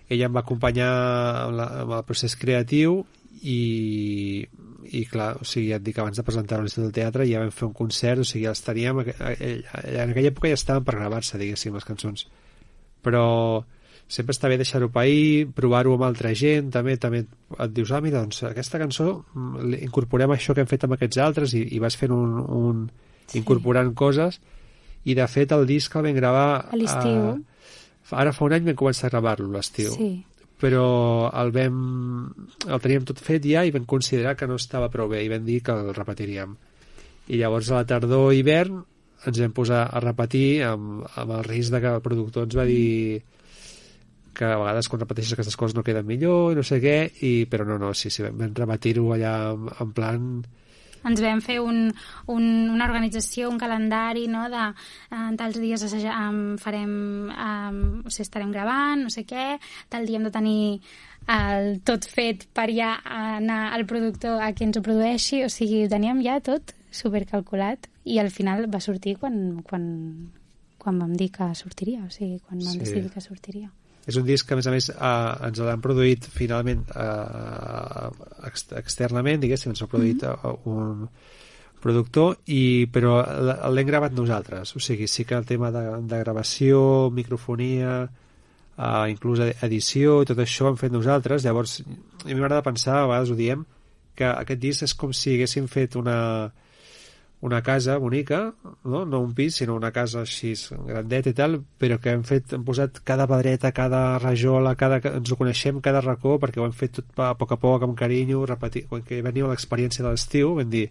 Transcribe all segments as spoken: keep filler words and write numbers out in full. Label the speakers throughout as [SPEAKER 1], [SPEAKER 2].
[SPEAKER 1] ella em va acompanyar amb, la, amb el procés creatiu i, i clar, o sigui, ja et dic, abans de presentar-ho a l'Institut del Teatre ja vam fer un concert, o sigui, ja els teníem en aquella època ja estaven per gravar-se, diguéssim, les cançons, però sempre està bé deixar-ho pair, provar-ho amb altra gent, també també et dius, ah, mira, doncs aquesta cançó incorporem això que hem fet amb aquests altres i, i vas fent un, un sí. incorporant coses, i de fet el disc el vam gravar
[SPEAKER 2] a l'estiu.
[SPEAKER 1] Ara fa un any vam començar a gravar-lo a l'estiu,
[SPEAKER 2] sí.
[SPEAKER 1] però el vam el teníem tot fet ja i vam considerar que no estava prou bé i vam dir que el repetiríem, i llavors a la tardor i hivern ens vam posar a repetir amb, amb el risc de que el productor ens va dir que a vegades quan repeteixes aquestes coses no queden millor i no sé què, i, però no, no, sí, sí, vam repetir-ho allà en, en plan...
[SPEAKER 2] Ens vam fer un, un, una organització, un calendari, no?, de en tals dies assajar, um, farem, um, o sigui, estarem gravant, no sé què, tal dia hem de tenir el tot fet per ja anar al productor a qui ens ho produeixi, o sigui, ho teníem ja tot supercalculat, i al final va sortir quan, quan, quan vam dir que sortiria, o sigui, quan vam sí. decidir que sortiria.
[SPEAKER 1] És un disc que, a més a més, eh, ens l'han produït finalment eh, ex externament, diguéssim, ens l'ha produït mm-hmm. un productor, i, però l'hem gravat nosaltres. O sigui, sí que el tema de, de gravació, microfonia, eh, inclús edició, i tot això ho hem fet nosaltres. Llavors, a mi m'agrada pensar, a vegades ho diem, que aquest disc és com si haguéssim fet una... una casa bonica, no? No un pis, sinó una casa així grandeta i tal, però que hem fet, hem posat cada pedreta, cada rajola, cada, ens ho coneixem, cada racó, perquè ho hem fet tot a poc a poc, amb carinyo, repetir, quan que venia l'experiència de l'estiu, vam dir,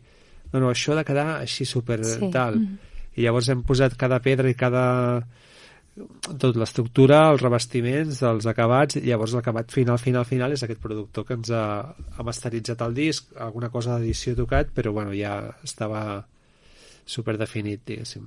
[SPEAKER 1] no, no, això ha de quedar així super sí. tal. Mm. I llavors hem posat cada pedra i cada... tot l'estructura, els revestiments, els acabats, i llavors l'acabat final, final, final és aquest productor que ens ha, ha masteritzat el disc, alguna cosa d'edició tocat, però bueno, ja estava super definit, diguéssim.